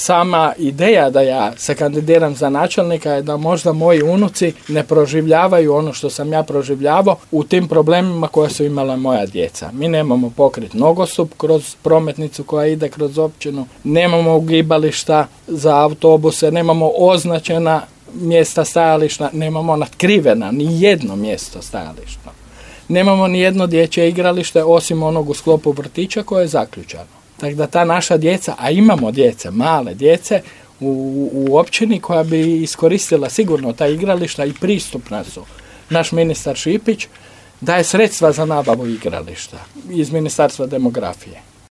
sama ideja da ja se kandidiram za načelnika je da možda moji unuci ne proživljavaju ono što sam ja proživljavao u tim problemima koje su imala moja djeca. Mi nemamo pokrit nogostup kroz prometnicu koja ide kroz općinu, nemamo ugibališta za autobuse, nemamo označena mjesta stajališta, nemamo natkrivena ni jedno mjesto stajališta. Nemamo ni jedno dječje igralište osim onog u sklopu vrtića koje je zaključano. Tako da ta naša djeca, a imamo djece, male djece u općini koja bi iskoristila sigurno ta igrališta i pristupna su. Naš ministar Šipić daje sredstva za nabavu igrališta iz Ministarstva demografije.